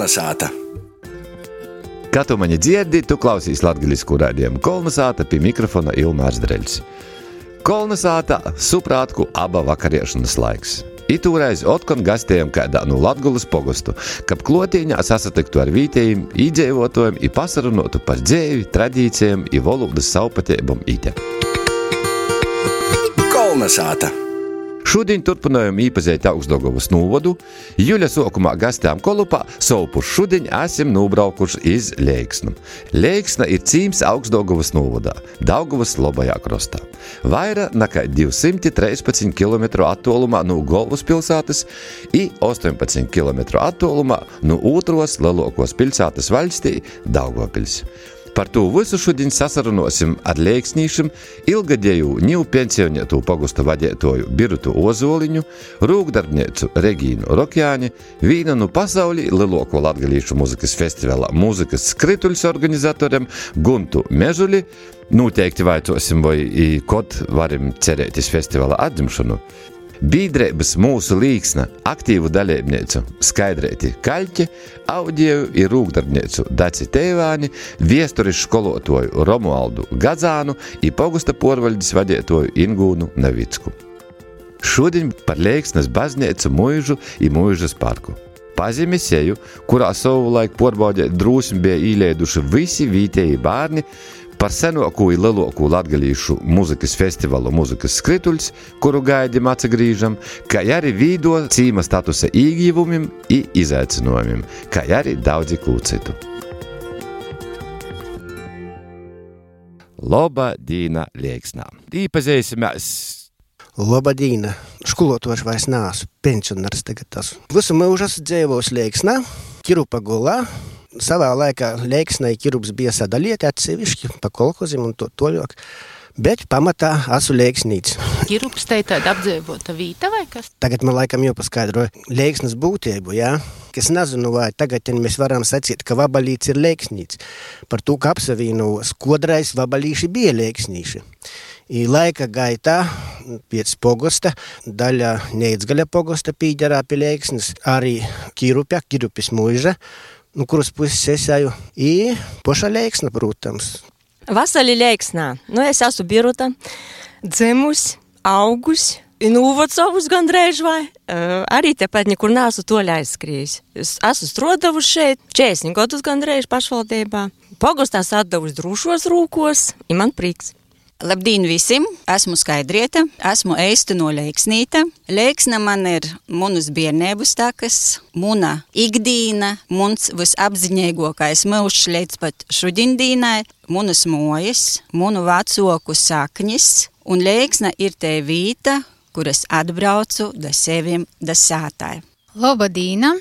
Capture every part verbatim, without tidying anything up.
Kolnesāta. Kā tu mani dzirdi, tu klausīs latgaļisku raidījumu Kolnesāta pie mikrofona Ilmārs Dreļs. Kolnesāta suprātku aba vakariešanas laiks. Itūreiz otkon gastējam kādā no Latgulas pogostu, kab klotīņā sasatiktu ar vītējiem, īdzīvotājiem i pasarunotu par dzēvi, tradīcijiem i valodas savpateibam ite. Kolnesāta. Šodien turpinājam īpazēt Augstdaugavas novadu. Juļa sokumā gastējām kolupā, savupuši šodien esam nubraukuši iz Leiksnu. Leiksna ir cīms Augstdaugavas novadā, Daugavas lobajā krostā. Vaira nekā divsimt trīspadsmit kilometru attolumā no Golvas pilsētas i astoņpadsmit kilometru attolumā no otros lielākos pilsētas valstī Daugavpils. Par to visu šodien sasarunosim ar leiksnīšiem ilgadēju ņivu pensionētū pogusta vadētoju Birutu Ozoliņu, rūkdarbniecu Regīnu Rokjāni, vīna no pasaulī lielāko latgalīšu muzikas festivala Mūzikas skrituļs organizatoriem Guntu Mežuli. Noteikti vaicosim, vai kod varim cerētis festivala atdzimšanu. Bīdreibas mūsu Līksna aktīvu dalībniecu Skaidrēti Kaļķi, audieju i rūkdarbniecu Daci Teivāni, viesturis školotoju Romualdu Gadzānu i pogusta porvaļdis vadētoju Ingūnu Navicku. Šodien par Leiksnas baznīcu mūžu i mūžas parku. Pazemi seju, kurā savu laiku porbaudēt drūsmi bija īlēduši visi vītēji bārni, par senāko i lielāko latgalīšu muzikas festivalu Mūzikas skrituļs, kuru gaidim atsagrīžam, kā arī vīdo cīma statusa īgīvumim i izaicinojumim, kā arī daudzi kūcitu. Lobadīna Leiksnā. Īpazēsimies. Lobadīna. Školotoši vairs nāsu, pensionārs tagad tas. Visu mūžu esmu dzīvojis Leiksnā, Kirupa gulā. Savā laikā Leiksnai Kirups bija sadalieti atsevišķi pa kolhozim un to toļok, bet pamatā esmu Leiksnīts. Kirups te tāda apdzīvota vīta vai kas? Tagad man laikam jāpaskaidro Leiksnas būtību, jā? Kas nezinu, vai tagad mēs varam sacīt, ka Vabalīts ir Leiksnīts. Par to, ka apsavīnu skodrais Vabalīši bija Leiksnīši. I laika gaitā pēc pogosta, daļa Neicgaļa pogosta pīģerā pie Leiksnas, arī Kirupja, Kirupis mūža, nu, kuras puses esēju, i poša Leiksna, protams. Vasali Leiksnā. Nu, es esmu Biruta, dzimus, augus, nūvocovus gandrēž vai. Uh, arī tepat nekur neesmu toļa aizskrījis. Es esmu strodavuši šeit, četrdesmit gadus gandrēž pašvaldībā. Pogostās atdavuši drūšos rūkos, i man prieks. Labdien visiem! Esmu Skaidrieta, esmu eistu no Leiksnīta. Leiksna man ir munas biernēbus takas, muna ikdīna, muns visapziņeigokais mūžs līdz pat šudiendīnai, munas mojas, munu vacoku saknis, un Leiksna ir te vīta, kuras atbraucu da sevim, da sātai. Lobadīna,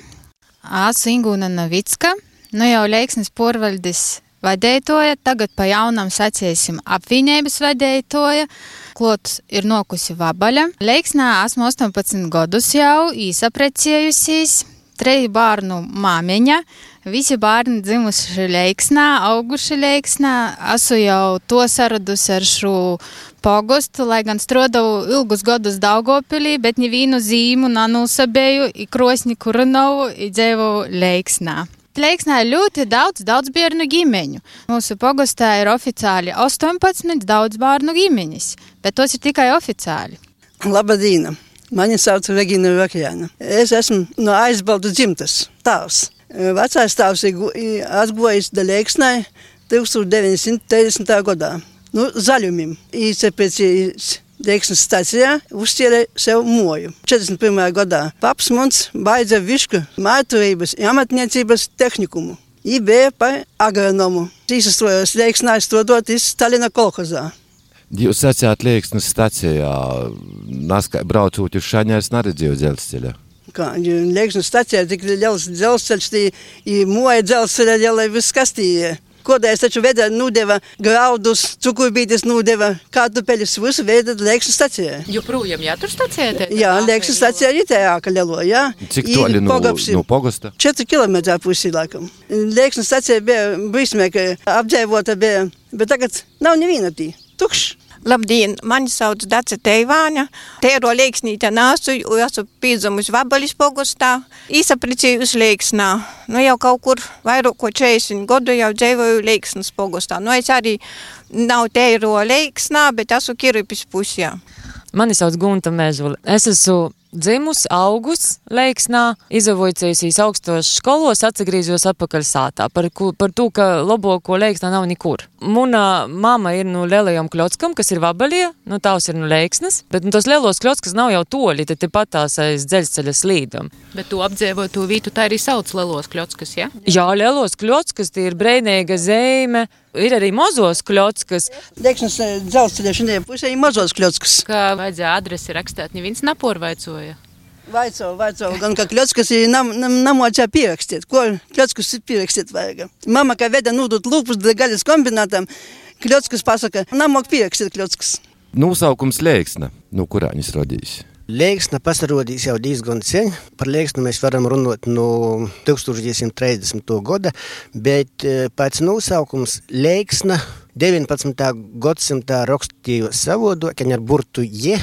esmu Ingūna Navicka, nu jau Leiksnas porvaļdis vadētoja, tagad pa jaunam sacēsim apviņēbas vadētoja, klots ir nokusi Vabaļa. Leiksnā esmu astoņpadsmit gadus jau īsaprecējusies, treju bārnu māmeņa, visi bārni dzimuši Leiksnā, auguši Leiksnā, esmu jau to saradusi ar šo pogostu, lai gan strodavu ilgus gadus Daugavpilī, bet nevīnu zīmu nanūsabēju, i krosni Kurinovu, i dzēvu Leiksnā. Leiksnā ir ļoti daudz, daudz bērnu ģimeņu. Mūsu pogostā ir oficiāli astoņpadsmit daudz bērnu ģimeņas, bet tos ir tikai oficiāli. Labadīna! Mani sauc Regīna Rokjāna. Es esmu no Aizbaldu dzimtas tēvs. Vecais tēvs ir atgojis da Leiksnai tūkstoš deviņi simti trīsdesmitā gadā. Nu, zaļumim. Īcepēc Leiksnas stacijā uzķēra sev moju. četrdesmit pirmajā gadā paps mums baidza višku mājturības un amatniecības tehnikumu. I bija par agronomu. Īsastrojos Leiksnā strādot iz Stalina kolhozā. Jūs sacījāt Leiksnas stacijā, naskai braucot uz Šaņēs neredzēju dzelzceļa? Kā, Leiksnas stacijā tik liels dzelzceļš, i moja dzelzceļa lielai viss kastīja. Kodēļ taču veda nūdeva graudus, cukurbītis nūdeva, kartupeļus, visu veda Leiksnas stacijā. Joprojām jātur stacijā? Jā, Leiksnas stacijā ir tā āka lielo, jā. Cik toļi no, no pogosta? četri kilometri pusi laikam. Leiksnas stacijā bija brīsmē, ka apdzīvota bija, bet tagad nav neviena tī. Tukšs. Labdien, mani sauc Dace Teivāņa. Teiro Leiksnīte nāsu, esmu pīdzamus Vabalis pogostā. Īsaprecējus Leiksnā. Nu jau kaut kur vairāk ko četrdesmit godu jau dzīvoju Leiksnas pogostā. Nu es arī nav Teiro Leiksnā, bet esmu Kiripis pusjā. Mani sauc Gunta Mežula. Es esmu dzimus, augus Leiksnā, izavojusies augstos školos, atsagrīzos atpakaļ sātā. Par, par to, ka laboko Leiksnā nav nikur. Muna mama ir no lielajam Kļockam, kas ir Vabalie, no tās ir no Leiksnas, bet no tos lielos Kļockas nav jau toļi, tad te patās aiz dzeļsceļa slīdam. Bet tu apdzīvotu vītu, tā arī sauc lielos Kļockas, ja? Jā, lielos Kļockas, tie ir Breinīga zeme, ir arī mazos Kļockas. Leiksnas dzelzceļa šodien pusē ir mazos Kļockas. Kā vajadzēja adresi rakstēt, neviens naporvaicoja? Vaico, vaico, gan kā Kļockas ir nam, nam, namocā pierakstīt. Ko Kļockas ir pierakstīt vajag? Mama, kā veda nūdot lūpus gaļas kombinātam, Kļockas pasaka, namok pierakstīt Kļockas. Nosaukums Leiksna, no kurā viņas rodīs? Leiksna pasarodīs jau diezgan sen. Par Leiksnu mēs varam runāt no tūkstoš deviņsimt trīsdesmitā gada, bet pēc nosaukums Leiksna deviņpadsmitā gadsimtā rakstījos savodokaņ ar burtu je,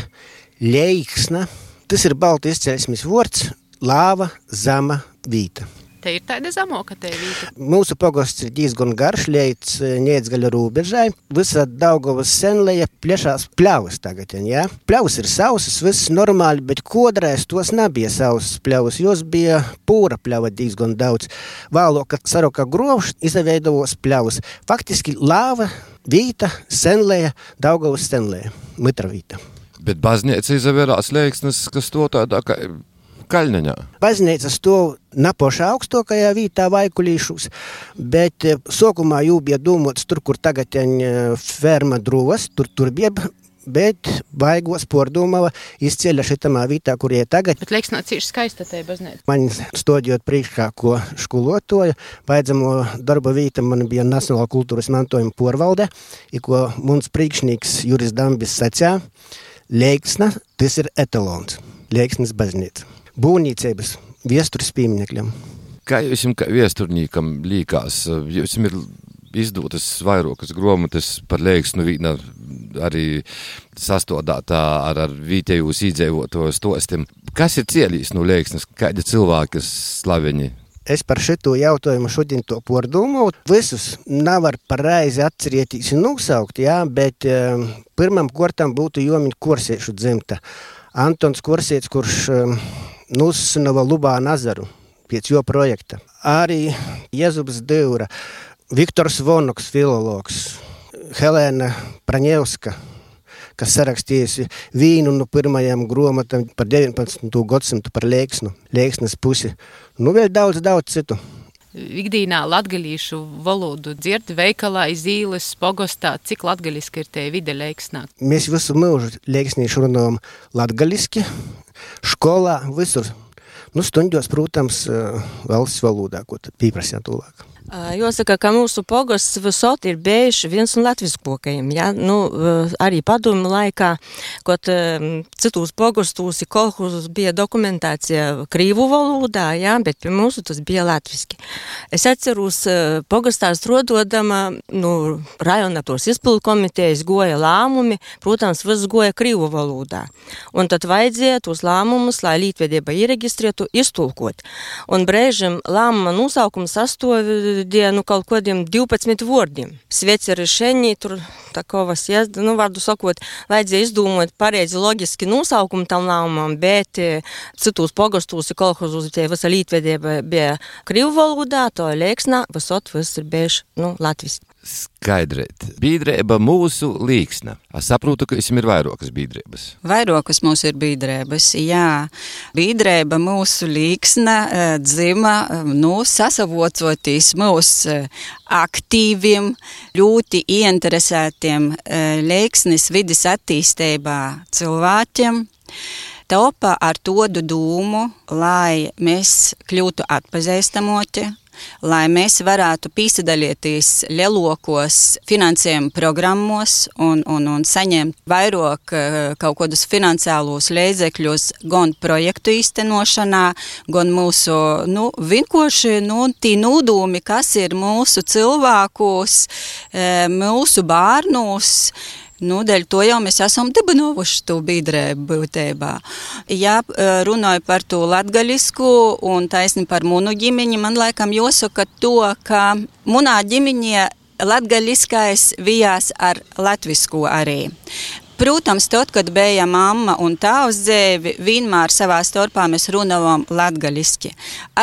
Leiksna. Tas ir baltu izcelsmes vārds lāva, zama, vīta. Te ir tāda zamoka te vīta. Mūsu pogosts ir diezgan garš, līdz Niedzgaļa robežai. Visa Daugavas senleja plešās pļavas tagad, jā. Pļavas ir sausas, viss normāli, bet kodrais tos nebija sausas pļavas, jos bija pūra pļava diezgan daudz. Vēlo, kad saroka grovš, izaveidovos pļavas. Faktiski lāva, vīta, senleja, Daugavas senleja, mitra vīta. Bet baznīca izavērās Leiksnas, kas to tādā kā Kaļneņā. Baznīca stov napošā augstākajā vītā Vaikulīšus, bet sokumā jū bija domāts tur, kur tagad ferma drūvas, tur, tur bija, bet baigos pordomava izceļa šitamā vītā, kur ir tagad. Bet Leiksnā cīši skaista te baznīca. Man stodjot priekšā, ko školotoja, vajadzamo darba vīta man bija Nacionāla kultūras mantojuma porvalde, i ko mums priekšnīgs Juris Dambis sacā, Leiksna, tas ir etalons, Leiksnas baznīca. Būvniecības viesturis pieminekļam. Kā jums kā viesturnīkam līkās? Jums ir izdotas vairākas grāmatas par Leiksnu vīna arī sastādātā ar, ar vietējos iedzīvotāju stostiem. Kas ir cielīs no Leiksnas? Kādi cilvēki ir slaveņi? Es par šito jautājumu šodien to pordomāju. Visus nevar pareizi atcerēties un nosaukt, jā, bet uh, pirmam kortam būtu jomiņ Korsiešu dzimta. Antons Korsietis, kurš uh, nosnava Lubānu azaru pēc jo projekta. Arī Jezups Dyura, Viktors Vonoks, filologs, Helēna Praņevska, kas sarakstījusi vīnu no pirmajām grāmatām par deviņpadsmito gadsimtu par Leiksnu, Leiksnas pusi. Nu, vēl daudz, daudz citu. Ikdīnā latgalīšu valodu dzird veikalā, iz īles, pogostā. Cik latgaliski ir te vide Leiksnā? Mēs visu mūžu leiksnīšu runājam latgaliski, školā, visur. Nu, stundos, protams, valsts valodā, ko tad pīprasījā tūlāk. Jāsaka, ka mūsu pogosts visot ir bijuši viens no latviskokajiem, ja? Nu, arī padomu laikā, kad citos pogostos i kolhozos bija dokumentācija krīvu valodā, ja? Bet pie mūsu tas bija latviski. Es atceros, pogostā strododama, nu, rajona tos izpildu komitejas goja lāmumi, protams, viss goja krīvu valodā. Un tad vajadzēja tos lāmumus, lai lītvedība ieregistrētu, iztulkot. Un brēžam lāmuma nosaukums sastovi dienu kaut kodiem divpadsmit vārdiem. Svecerišeni, tur takovas, ja, nu, vārdu sakot, vajadzēja izdomot pareizi logiski nosaukumu tam lēmumam, bet citos pogostos i kolhozos tie visa lītvedība bija krīvu valodā, to Leiksnā visot viss ir bijuši, nu, latviski. Skaidrēt. Bīdrēba mūsu Leiksna. Es saprotu, ka jums ir vairākas bīdrēbas. Vairākas mūsu ir bīdrēbas, jā. Bīdrēba mūsu Leiksna dzima, nu, sasavocoties mūsu aktīviem, ļoti ieinteresētiem Leiksnes vidas attīstībā cilvēkiem. Topa ar todu dūmu, lai mēs kļūtu atpazīstamoti, lai mēs varētu pīsadalīties lielokos finansējuma programmos un, un, un saņemt vairāk kaut kādus financiālos līdzekļus gan projektu īstenošanā, gan mūsu, nu, vienkārši, nu, tī nūdūmi, kas ir mūsu cilvēkos, mūsu bārnūs, Nu, dēļ to jau mēs esam dibinovuši to biedrību būtībā. Ja runāju par to latgaļisku un taisni par munu ģimeni, man laikam jāsaka to, ka munā ģimenē latgaļiskais vijās ar latvisku arī. Protams, tad, kad bija mamma un tāvs dzēvi, vienmēr savā starpā mēs runājām latgaļiski.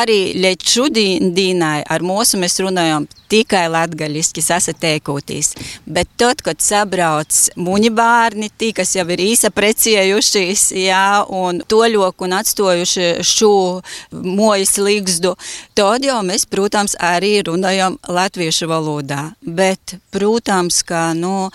Arī līdz šodīnai ar mūsu mēs runājām tikai latgaļiski sasateikoties. Bet tad, kad sabrauc muņi bārni, tī, kas jau ir īsaprecējušies, jā, un toļoku un atstojuši šo mojas līgzdu, tad jau mēs, protams, arī runājām latviešu valodā. Bet, protams, ka, nu,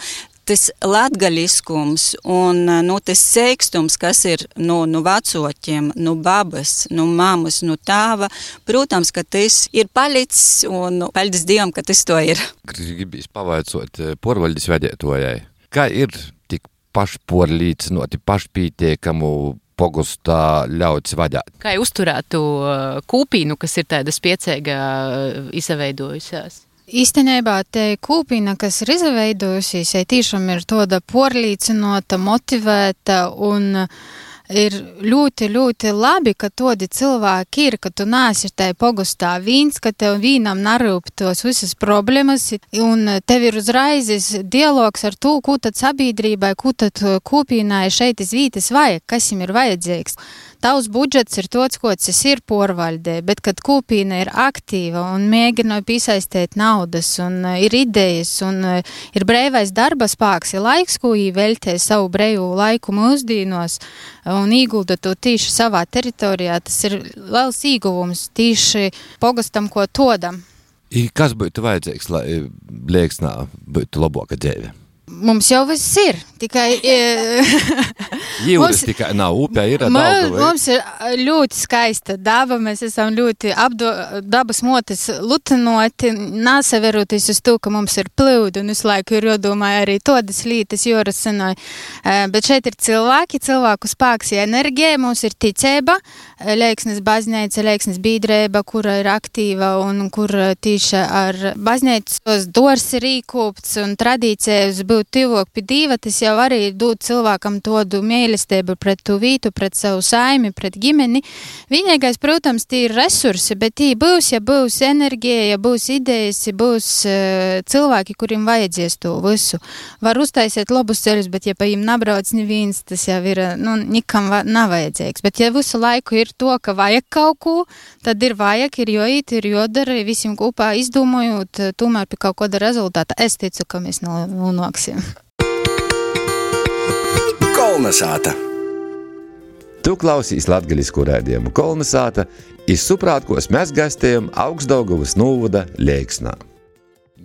tas latgaļiskums un nu, tas seikstums, kas ir no, no vecotiem, no babas, no mammas, no tāva, protams, ka tas ir palicis un paldies Dievam, ka tas to ir. Gribīs pavaicot porvaļdes vedētojai, kā ir tik pašporlīcinoti, pašpītiekamu pogustā ļauts vadāt? Kā uzturētu kūpīnu, kas ir tāda spiecēga izveidojusies? Īstenībā te kūpina, kas ir izveidojusies, tīšām ir tāda porlīcinota, motivēta un ir ļoti, ļoti labi, ka tādi cilvēki ir, ka tu nāsi tai pogustā vīns, ka tev vīnam narūp tos visas problēmas un tev ir uzraizes dialogs ar to, ko tad sabiedrībai, ko tad kūpīnai šeit iz vītas vajag, kas jim ir vajadzīgs. Tavs budžets ir tāds, kods es ir porvaldē, bet kad kūpīna ir aktīva un mēģina piesaistīt naudas un ir idejas un ir breivais darba spēks, ir laiks, ko jī veltē savu breivu laiku mūsdīnos un īgulda to tīši savā teritorijā, tas ir liels īguvums tīši pogastam, ko todam. I kas būtu vajadzīgs, lai Leiksnā būtu labāka dzīve? Mums jau viss ir, tikai... Jūras tikai nav, upē ir daudz. Mums ir ļoti skaista daba, mēs esam ļoti apdo, dabas motis lutinoti, nāsaveroties uz to, ka mums ir plyudi, un visu laiku ir jodomāja arī todas lītas jorasinoja. Bet šeit ir cilvēki, cilvēku spēks ja enerģija, mums ir ticība, Leiksnes baznīca, Leiksnes biedrība, kura ir aktīva un kur tīši ar baznīcos dors ir īkūpts un tradīcijas būt tivok pie Dīva, tas jau arī dod cilvēkam todu mīlestību pret tu vītu, pret savu saimi, pret ģimeni. Vienīgais, protams, tie ir resursi, bet tī būs, ja būs enerģija, ja būs idejas, ja būs uh, cilvēki, kuriem vajadzēs to visu. Var uztaisīt labus ceļus, bet ja pa jim nabrauc neviens, tas jau ir, nu, nikam va, nav vajadzīgs. Bet ja visu laiku ir to, ka vajag kaut ko, tad ir vajag, ir joīt, ir jodara, visiem kopā izdomojot, tomēr pie kaut kāda rezultāta. Es ticu, ka mēs nonāksim. Kolnesāta. Tu klausīs latgaļisku raidījumu Kolnesāta, iz suprātkos mēs gastējam Augstdaugavas novada Leiksnā.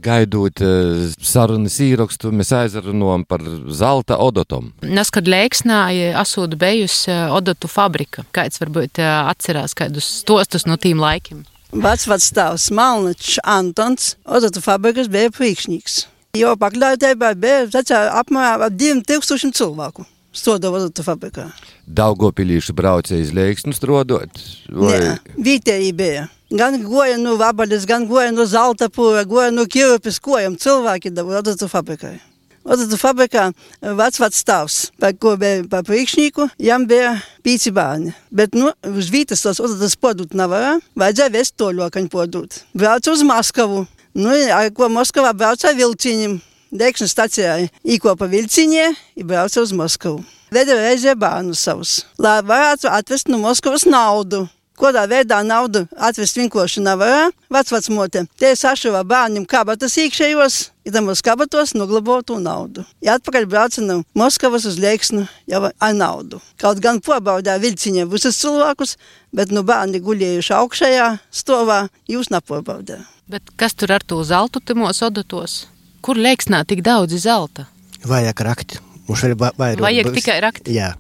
Gaidot uh, sarunas īrakstu, mēs aizrunājam par zelta odotom. Nes, kad Leiksnā asūda bejusi odotu fabrika, kāds varbūt atcerās kādus stostus no tīm laikiem? Vecvats tavs Malničs Antons, odotu fabrikas bija priekšnieks. Jo pakļautībā bija tačā apmēram ap diviem tūkstošiem cilvēku strādāja odotu fabrikā. Daugavpilīši brauca iz Leiksnu strādāt? Vai... Nē, vietēji bija. Gan goja no Vabaļas, gan goja no Zaltapūra, goja no Kirupis kojam cilvēki dabūja odotu fabrikai. Odotu fabrikā vecvats tavs, par ko bija par priekšnieku, jam bija pīci bērni. Bet, nu, uz vītas tos odotus podūt nevarā, vajadzēja vest toļokaņu podūt. Brauca uz Maskavu. Nu, ar ko Moskavā brauca vilciņiem. Degšanas stacijā īkopa vilciņie i brauca uz Moskavu. Veda reizē bērnus savus, lai varētu atvest no Moskavas naudu. Kodā veidā naudu atvest vienkārši nevarā, vecvecmote. Te sašuva bērniem kabatas iekšējos, i tam uz kabatos noglabotu naudu. I atpakaļ brauca no Moskavas uz Leiksnu jau ar naudu. Kaut gan pobaudīja vilciņā visus cilvēkus, bet no bērni guļējuši augšējā stovā, jūs nepobaudīja. Bet kas tur ar to zeltu timos odotos? Kur Leiksnā tik daudz zelta? Vajag rakt. Mums vēl vairāk. Vajag tikai rakt? Jā.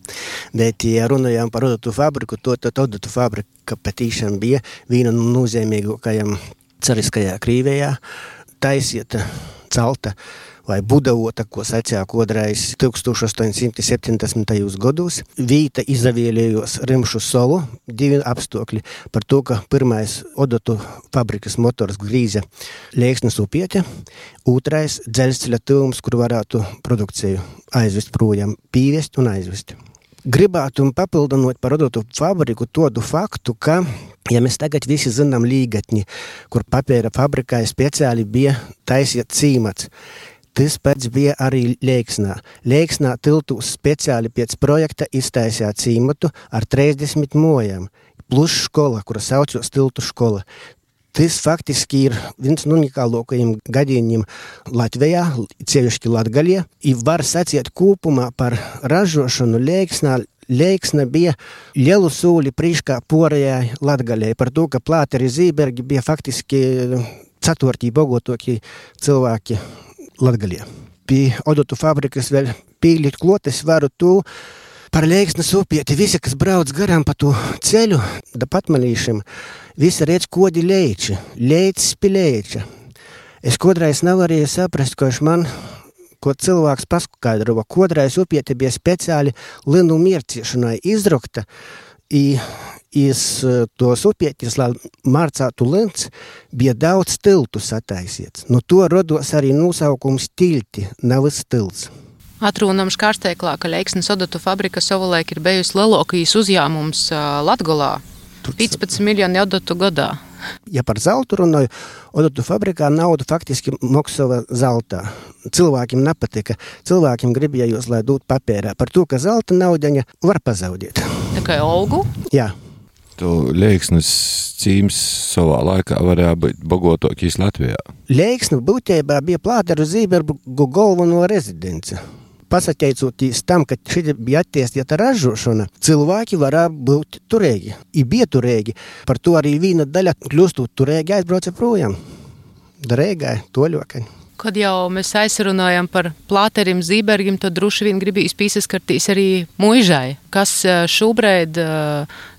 Bet, ja runājām par odotu fabriku, to, to odotu fabrika patīšām bija viena no nozīmīgākajām cariskajā Krīvijā. Taisiet celta vai Budavota, ko sacīja kodreiz tūkstoš astoņsimt septiņdesmitajos gados. Vīta izavēlējos Rimšu solu, divi apstākļi par to, ka pirmais odotu fabrikas motors grīze Leiksnes upiete, otrais dzelzceļa tuvums, kur varētu produkciju aizvest projām, pīvest un aizvest. Gribētu papildinot par odotu fabriku tādu faktu, ka, ja mēs tagad visi zinām līgatņi, kur papēra fabrikai speciāli bija taisiet cīmats, tas pēc bija arī Leiksnā. Leiksnā tiltūs speciāli pēc projekta iztaisīja cīmatu ar trīsdesmit mojām, plus škola, kura saucos tiltu škola. Tas faktiski ir viens no unikālākajiem gadījumiem Latvijā, sevišķi Latgaļā. I var sacīt kopumā par ražošanu Leiksnā. Leiksna bija lielu sūli priekšā porējai Latgaļai par to, ka Plāteri Zībergi bija faktiski ceturtī bogotākie cilvēki Latgaļā. Pie odotu fabrikas vēl pīļīt klotes varu to, par Leiksnes upieti visi, kas brauc garām pa to ceļu, da patmalīšiem, visi redz kodi leiči, leicis pi leiča. Es kodreiz nevarēju saprast, ko iš man, ko cilvēks paskaidrova. Kodreiz upieti bija speciāli linu mierciešanai izrokta, i iz tos upietis, lai mārcātu lins, bija daudz tiltu sataisiets. No to rodos arī nosaukums tilti, nav tilts. Atrūnam škārsteiklā, ka Leiksnes odotu fabrika savulaik ir bijusi lielākais uzņēmums Latgolā. piecpadsmit miljoni odotu gadā. Ja par zeltu runāju, odotu fabrikā naudu faktiski maksāja zeltā. Cilvēkiem nepatika. Cilvēkiem gribējos, lai dot papērā. Par to, ka zelta naudaņa var pazaudēt. Tā kā olgu? Jā. Tu Leiksnes cīms savā laikā varēja būt bogotākais Latvijā. Leiksne būtībā bija Plāteru Zībergu galveno rezidence. Pasateicoties tam, ka šī bija attīstīta ražošana, cilvēki varēja būt turēgi. I bija turēgi. Par to arī viena daļa kļūstot turēgi aizbrauca projām. Darēgai, toļokai. Kad jau mēs aizrunājam par Plāterim Zībergim, tad droši vien gribīs pīsaskartīs arī muižai. Kas šobrīd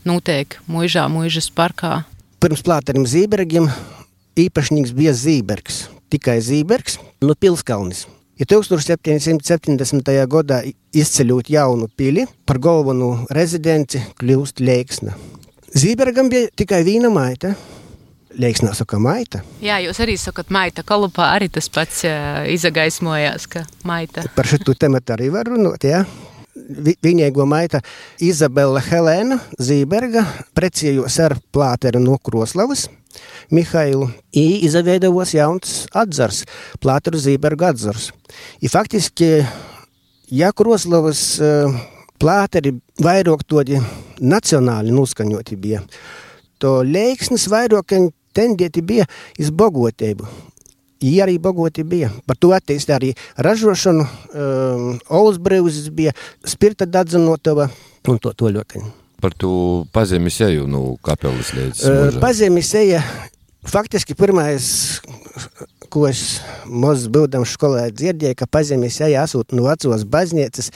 notiek muižā, muižas parkā? Pirms Plāterim Zībergim īpašnieks bija Zībergs. Tikai Zībergs, no Pilskalnis. Ja tūkstoš septiņsimt septiņdesmitajā gadā izceļot jaunu pili, par galvenu rezidenci kļūst Leiksna. Zībergam bija tikai viena maita. Leiksnā saka maita. Jā, jūs arī sakat maita. Kalupā arī tas pats uh, izagaismojās, ka maita. Par šitu tematu arī var runāt, jā. Vi, viņēgo maita Izabela Helēna Zīberga precējos ar Plāteru no Kroslavas, Mihailu, i izaveidavos jauns atzars, Plāteru Zīberga atzars. I faktiski, ja Kroslavas uh, Plāteri vairāk todi nacionāli noskaņoti bija, to Leiksnes vairāk tendieti bija iz bogotību. I arī bogoti bija. Par to attīstī arī ražošanu, um, olsbrīvzis bija, spirta dadzanotava un to to ļoti. Par to pazemis eju, nu, kapelis līdz uh, pazemis eja, faktiski pirmais, ko es maz būdam skolā dzirdēju, ka pazemis eja asūt no vecos baznīcas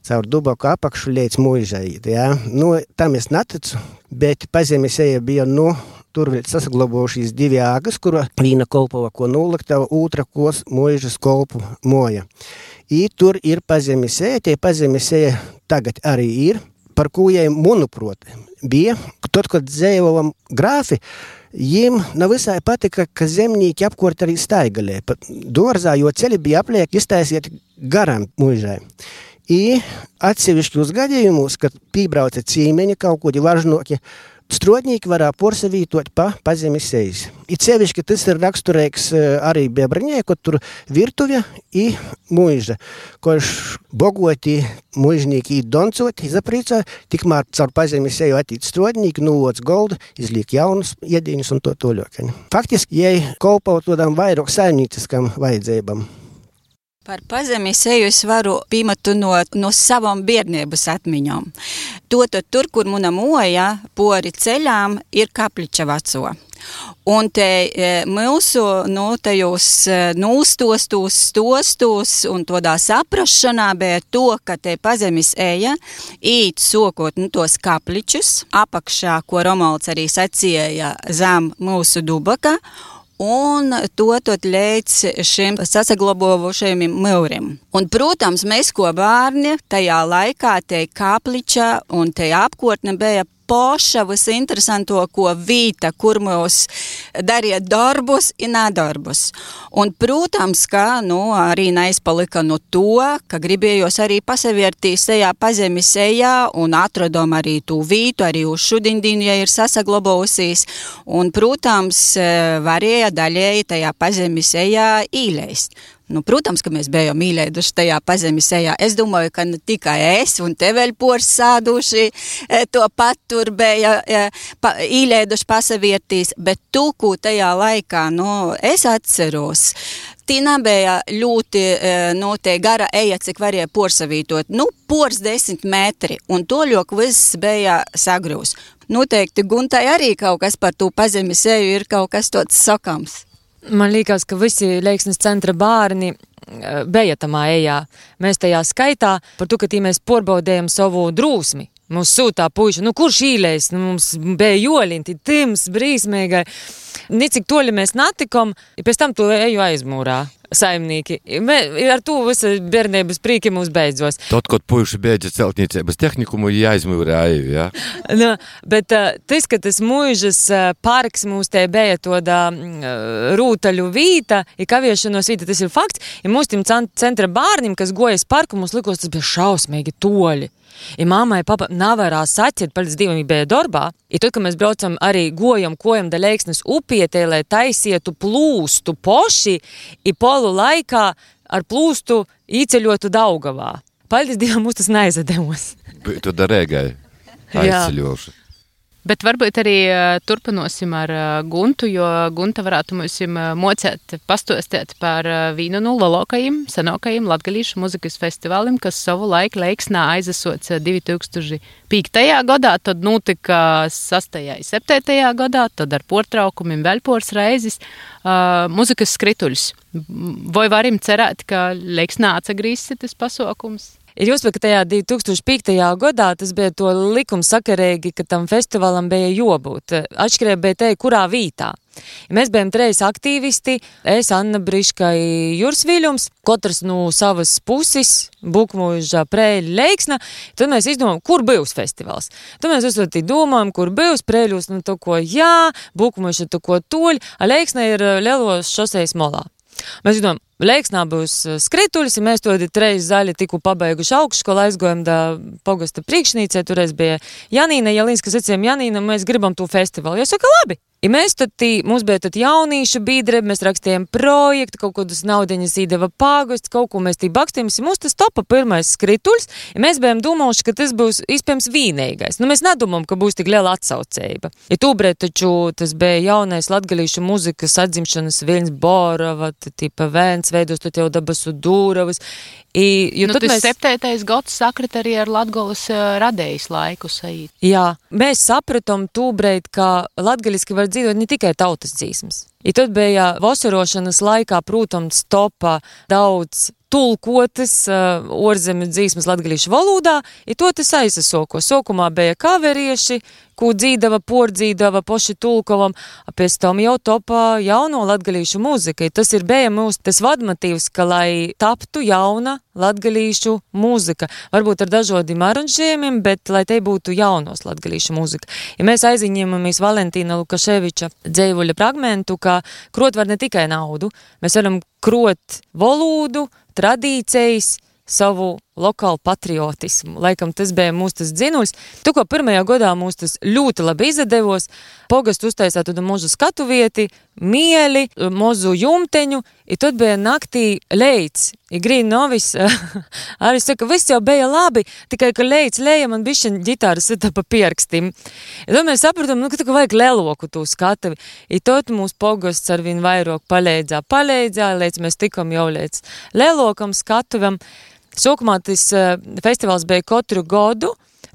caur Dubaku apakšu līdz muižai. Ja? Nu, tam es neticu, bet pazemis eja bija, nu, tur vēl sasaglabojušies divi āgas, kura vīna kolpova, ko noliktava, otra kos muižas kolpu moja. I tur ir pazemis eja, tie pazemis eja tagad arī ir, par ko jai manuprāt bija. Tad, kad dzējovam grāfi, jiem nav visai patika, ka zemnīki apkort arī staigalē. Pat dorzā, jo ceļi bija apliek iztaisiet garām muižai. I atsevišķos gadījumus, kad pībrauca cīmeņi kaut kodi važnoki, strādnieki varā porsavītot pa pazemis ejas. I sevišķi tas ir raksturīgs arī Biebrņē, kad tur virtuvja i muiža. Koš bogoti muižnīki i doncot, izaprīcā, tikmēr caur pazemis eju attīt strādnīki, nuvots goldu, izliek jaunus iedīņus un to toļokaņu. Faktiski, jai kolpaut todām vairāk saimnīciskam vajadzībam. Par pazemis eju es varu pīmatu no, no savam biedniebas atmiņom. Tātad tur, kur muna moja pori ceļām, ir kapliča veco. Un te e, mūsu no tajos e, nūstostos, stostos un tādā saprašanā bija to, ka te pazemis eja īt sokot nu, tos kapličus apakšā, ko Romualds arī sacīja zem mūsu Dubaka, un to tot līdz šim sasaglabojušajiem mūrim. Un, protams, mēs ko bērni tajā laikā te kapliča un te apkārtne bija poša visinteresanto, ko vīta, kur mūs darīja darbus un nedarbus. Un, protams, ka, nu, arī neizpalika no to, ka gribējos arī pasaviertīs tajā pazemis ejā un atradom arī tū vītu, arī uz šudindīnu, ja ir sasaglabojusies. Un, protams, varēja daļēji tajā pazemis ejā īleist. Nu, protams, ka mēs bijām mīlējuši tajā pazemis ejā. Es domāju, ka ne tikai es un te vēl pors sāduši to pat tur bija pa, īlēduši pasaviertīs, bet tūku tajā laikā, nu, es atceros. Tī nebija ļoti, nu, te gara eja, cik varēja porsavītot. Nu, pors desmit metri, un toļok viss bija sagrūs. Noteikti Guntai arī kaut kas par tū pazemis eju ir kaut kas tāds sakams. Man liekas, ka visi Leiksnes centra bērni bija tamā ejā. Mēs tajā skaitā par to, ka tī mēs porbaudējam savu drūsmi. Mums sūtā puiši, nu kurš īlēs, nu mums bija joļinti, tims, brīsmīgai. Nicik toļi mēs natikom, ja pēc tam to eju aizmūrā saimnīki. Mē, ar to visa bērnības prīki mums beidzos. Tot, kad puiši beidza celtniecības tehnikumu, jāizmūrā eju, jā? Nu, bet uh, tas, ka tas mūžas uh, parks mums te bija toda uh, rūtaļu vīta, ja kaviešanos vīta, tas ir fakts. Ja mums tim centra bārnim, kas gojas parku, mums likos, tas bija šausmīgi toļi. Ja mammai papa nevarā saciet, palīdz divam bija darbā, ja tad, kad mēs braucam arī gojam, kojam da Leiksnes upietē, lai taisietu plūstu poši, i polu laikā ar plūstu īceļotu Daugavā. Palīdz divam mums tas neizademos. Tu darēgai aizceļošu. Bet varbūt arī turpinosim ar Guntu, jo Gunta varētu mums mocēt, pastostēt par vīnu no lolokajiem, senokajiem latgalīšu muzikas festivālim, kas savu laiku Leiksnā aizasots divi tūkstoši piektajā gadā, tad notika sastajā un septītajā gadā, tad ar portraukumiem vēl pors reizes uh, muzikas skrituļs. Vai varim cerēt, ka Leiksnā atsagrīzsi tas pasaukums? Ir jāsaka, ka tajā divi tūkstoši piektajā gadā tas bija to likums sakarīgi, ka tam festivālam bija jābūt. Atšķirība bija te, kurā vītā. Mēs bijām treis aktīvisti, es, Anna Briška, Juris Viļums, katrs no savas puses, Bukmuža, Prēļa, Leiksna, tad mēs izdomājam, kur būs festivāls. Tad mēs uzsvērtī domājam, kur būs Prēļus, nu to ko jā, Bukmuža to ko toļ, a Leiksna ir Lielos šosejas molā. Mēs domājam, Leiksnā būs skrituļs, ja mēs to treis zaļi tiku pabeiguši augšskolu, aizgojam da pogasta priekšnīcē, toreiz bija Janīna Jelīnska, sacījām Janīna, mēs gribam to festivālu. Jo saka, labi. Ja mēs tad, tī, mums bija tad jaunīšu biedrība, mēs rakstījām projektu, kaut kādus naudeņas īdeva pāgusts, kaut ko mēs tī bakstījām, mums tas topa pirmais skrituļs, ja mēs bijām domājuši, ka tas būs iespējams vīnīgais. Nu, mēs nedomājam, ka būs tik liela atsaucība. Ja tūbrēt taču tas bija jaunais latgalīšu muzikas atzimšanas Viļņs Borova, tipa Vēns, veidos tad jau Dabasu Dūravas. I, nu, tas mēs... septītais gads sakrit arī ar Latgolas uh, radējas laiku sajīt. Jā, mēs sapratam tūbreit, ka latgaliski var dzīvot ne tikai tautas dzīsmas. I tad bija vasarošanas laikā, protams, topa daudz tulkotas uh, orzemju dzīsmas latgalīšu valodā, i to tas aizsasoko. Sokumā bija kaverieši, ko dzīdava, pordzīdava, poši tulkovam, a pēc tam jau topā jauno latgalīšu muzika. I tas ir bija mūsu tas vadmotīvs, ka lai taptu jauna latgalīšu muzika. Varbūt ar dažādiem aranžējumiem, bet lai te būtu jaunos latgalīšu muzika. Ja mēs aiziņemamies Valentīna Lukaševiča dzēvuļa fragmentu, ka krot var ne tikai naudu, mēs varam krot valodu, tradīcijas, savu lokālu patriotismu. Laikam tas bija mūsu tas dzinuļs. Tu, ko pirmajā gadā mūs tas ļoti labi izdevos, pogastu uztaisāt tādu mozu skatu vieti, mieli, mozu jumteņu, i tad bija naktī leits. I grīn novis, arī saka, viss jau bija labi, tikai, ka leits leja man bišķiņ ģitāras sita pa pierkstim. I tad mēs sapratam, nu, ka tā vajag leloku tū skatavi. I tad mūs pogasts arvien vairāk palīdzā, palīdzā, līdz mēs tikam jau līdz lelokam skatuvam. Sākumā tas uh, festivāls bija katru gadu,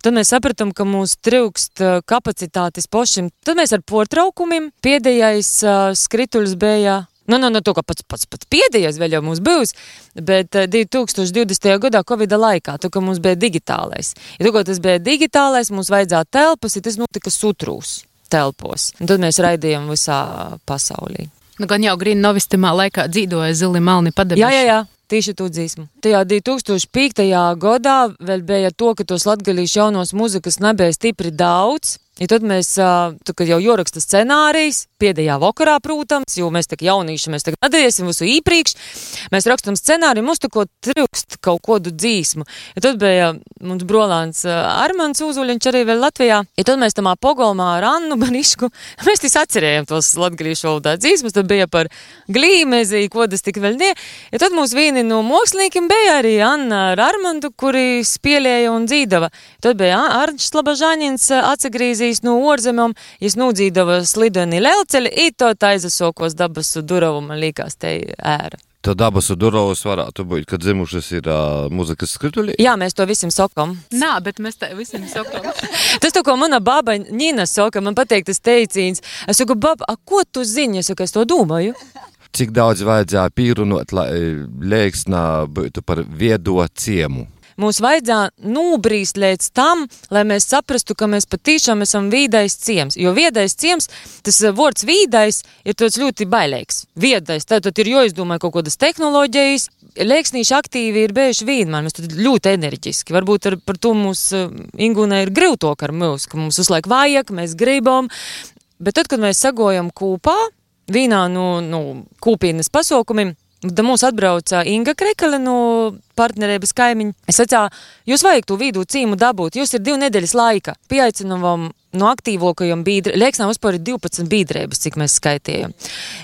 tad mēs sapratam, ka mums trūkst uh, kapacitātes pošim. Tad mēs ar portraukumiem, pēdējais uh, skrituļs bija, nu, nu, nu, to, ka pats, pats, pats pēdējais vēl jau mums būs, bet uh, divi tūkstoši divdesmitajā gadā Covida laikā, to, ka mums bija digitālais. Ja to, ka tas bija digitālais, mums vajadzētu telpas, ja tas notika sutrūs telpos. Un tad mēs raidījām visā pasaulī. Nu, gan jau Grīna Novistimā laikā dzīvoja Zili Malni padebeši. Jā, jā, jā. Tieši to dzīsmu. Tajā divi tūkstoši piektajā gadā vēl bija to, ka tos latgalīšu jaunos muzikas nebija stipri daudz. Ja tad mēs, tu, kad jau joraksta scenārijas, pēdējā vakarā, protams, jo mēs tak jaunīši, mēs tak nedariesim visu īpriekš, mēs rakstam scenāriju, mums tu ko trūkst kaut kodu dzīsmu. Ja tad bija mums brolāns Armans Uzuļiņš arī vēl Latvijā. Ja tad mēs tamā pogolmā ar Annu Banišku, mēs tīs atcerējam tos latgalīšu valodā dzīsmus, tad bija par glīmezi, kodas tik vēl nie. Ja tad mūs vieni no māksliniekiem bija arī Anna ar Armandu, kuri spielēja un dzīdava. Tad bija Arņš Slabažāņins atsagrīzījis no orzemēm, jis nūdzīdava slideni lelceļi, i to taizasokos dabasu durovu, man līkās te ēra. To dabasu durovus varētu būt, kad dzimušas ir uh, muzikas skrituļi? Jā, mēs to visiem sokam. Nā, bet mēs te visiem sokam. Tas to, ko mana baba Nina soka, man pateik tas teicīns. Es saku, baba, a ko tu zini? Es saku, es to domāju. Cik daudz vajadzēja pīrunot, lai Leiksnā būtu par viedo ciemu? Mums vajadzēja nūbrīst līdz tam, lai mēs saprastu, ka mēs patīšām esam vīdais ciems. Jo viedais ciems, tas vords vīdais ir tāds ļoti bailīgs. Viedais, tātad ir jāizdomā kaut kādas tehnoloģijas. Leiksnīši aktīvi ir bijuši vienmēr, mēs tad ļoti enerģiski. Varbūt ar, par to mums Ingūnai ir grūtāk ar mūs, ka mums uzlaik vajag, mēs gribam. Bet tad, kad mēs sagojam kūpā, vienā no, no kūpīnas pasaukumiem, tad mūs atbrauca Inga Krekale no partnerības kaimiņa. Es sacīju, jūs vajag to vidū cīmu dabūt, jūs ir divu nedēļas laika. Pieaicināvam no aktīvākajiem biedriem. Leiksnā vispār ir divpadsmit biedrības, cik mēs skaitījām.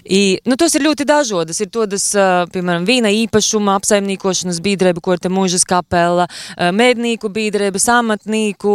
I, nu, tos ir ļoti dažodas. Ir todas, piemēram, vīna īpašuma apsaimnīkošanas biedrība, ko ir te mūžas kapela, mēdnīku biedrības, amatnīku,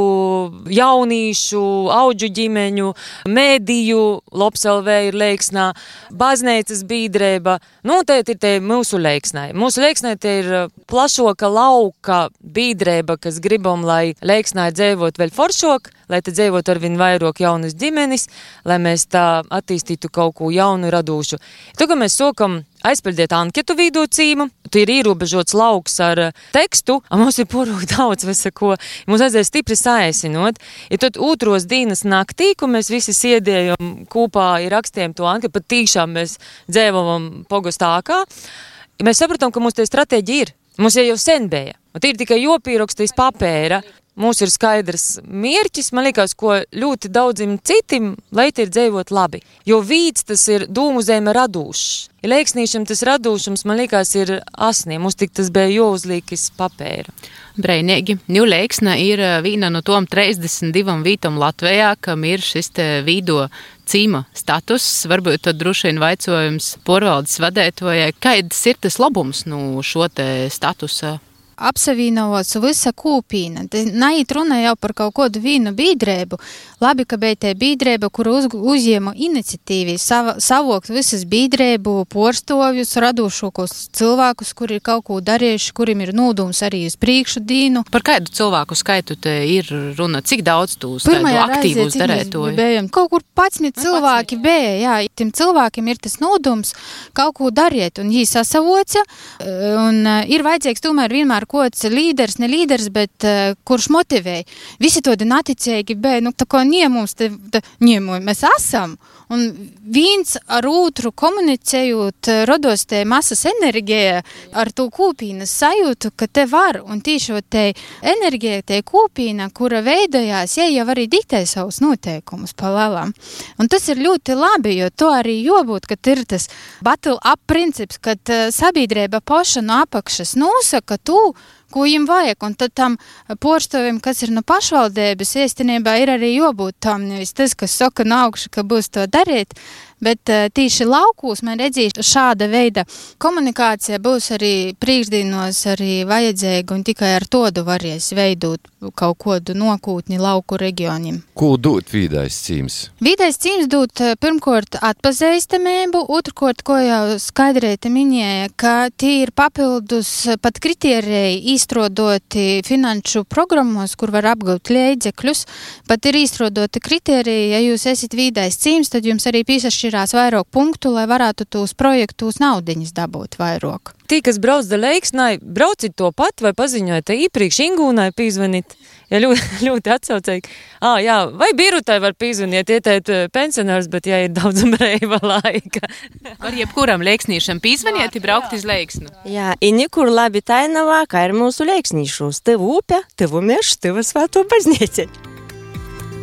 jaunīšu, audžu ģimeņu, mēdīju, Lops L V ir Leiksnā, baznīcas biedrība. Nu, te ir te mūsu Leiksnai. Mūsu Leiksnai te ir plašoka lauka biedrība, kas gribam, lai Leiksnā dzīvot vēl foršok, lai te dzīvot ar vien vairāk jaunas ģimenes, lai mēs tā attīstītu kaut ko jaunu, radošu. Tagad mēs sokam aizpildīt anketu vidū cīmu, tu ir ierobežots lauks ar tekstu, a mums ir porūk daudz visako, mums aizēja stipri saēsinot, ja tad otros dienas naktī, ko mēs visi siedējam kūpā, ir rakstījām to anketu, pat tīšām mēs dzēvam pogostākā, mēs sapratam, ka mums tie stratēģi ir, mums jau jau sen bija, un tie ir tikai jopīrakstīs papēra. Mums ir skaidrs mierķis, man liekas, ko ļoti daudzim citim, lai te ir dzīvot labi. Jo vīds tas ir dūmu zeme radūšs. Ja Leiksnīšam tas radūšums, man liekas, ir asniem. Mums tik tas bija jāuzlīkis papēra. Breinīgi. Nu, Leiksna ir viena no tom trīsdesmit divām vītam Latvijā, kam ir šis te vīdo cīma status. Varbūt tad droši vien vaicojums porvaldes vadētojai, kāds ir tas labums no šo te statusa? Apsavienovots visa kūpīna. Naiet runa jau par kaut kādu vīnu biedrību. Labi, ka bija te biedrība, kura uz, uzņēma iniciatīvi sava, savokt visas biedrību porstovjus, radošākos cilvēkus, kuri ir kaut ko darījuši, kuriem ir nūdums arī uz priekšu dīnu. Par kādu cilvēku skaitu te ir runa? Cik daudz tūs tādu aktīvus darētoju? Kaut kur patsmit cilvēki bija, jā. Tiem cilvēkiem ir tas nūdums kaut ko darīt, un jī sasavoca, un ir vajadzīgs tomēr vienmēr kods līderis, ne līderis, bet uh, kurš motivēja. Visi to naticīgi bija, nu, tā kā niemums, te, te, niemuj, mēs esam, un viens ar otru komunicējot, rodos te masas enerģija ar to kūpīnas sajūtu, ka te var, un tīši te enerģija, te kūpīna, kura veidojās, ja jau arī diktē savus noteikumus pa lēlām. Un tas ir ļoti labi, jo to arī jābūt, kad ir tas battle up princips, kad uh, sabiedrība paša no apakšas nosaka tu, ko viņam vajag, un tad tam porstovim, kas ir no pašvaldības, īstenībā ir arī jābūt tam, nevis tas, kas saka no augša, ka būs to darīt, bet uh, tīši laukūs man redzīs šāda veida komunikācija būs arī priekšdienos arī vajadzīga, un tikai ar todu varēs veidot kaut kodu nokūtni lauku reģioniem. Ko dot vīdais cīms? Vīdais cīms dot pirmkort atpazīstamību, otrkort, ko jau skaidrēti minēja, ka tie ir papildus pat kritēriji īstrodoti finanšu programmos, kur var apgūt līdzekļus, pat ir īstrodoti kritēriji, ja jūs esat vīdais cīms, tad jums arī piesašķi jāpiešķirās vairāk punktu, lai varētu tūs projektūs naudiņas dabūt vairāk. Tī, kas brauc da Leiksnai, braucit to pat vai paziņojat īpriekš Ingūnai pīzvanīt? Ja ļoti, ļoti atsaucīgi. Ā, jā, vai Birutai var pīzvaniet, ietēt pensionārs, bet jā, ir daudz brīva laika. Var jebkuram leiksnīšam pīzvaniet, ja braukt iz Leiksnu. Jā, i nekur labi tainavā, kā ir mūsu leiksnīšos. Tev upė, tev meš, tev svēto baznīca.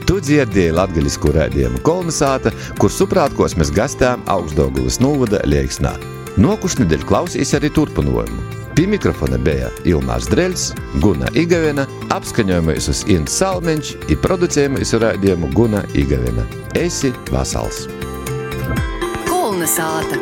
Tu dzirdēji latgaļisku raidījumu Kolnesāta, kur suprātkos mēs gastām Augstdaugavas novada Leiksnā. Nokušnedēļ klausīs arī turpinājumu. Pie mikrofona bija Ilmārs Dreļs, Guna Igavena, apskaņojumais uz Inns Salmeņš i producējumais raidījumu Guna Igavena. Esi vasals! Kolnesāta.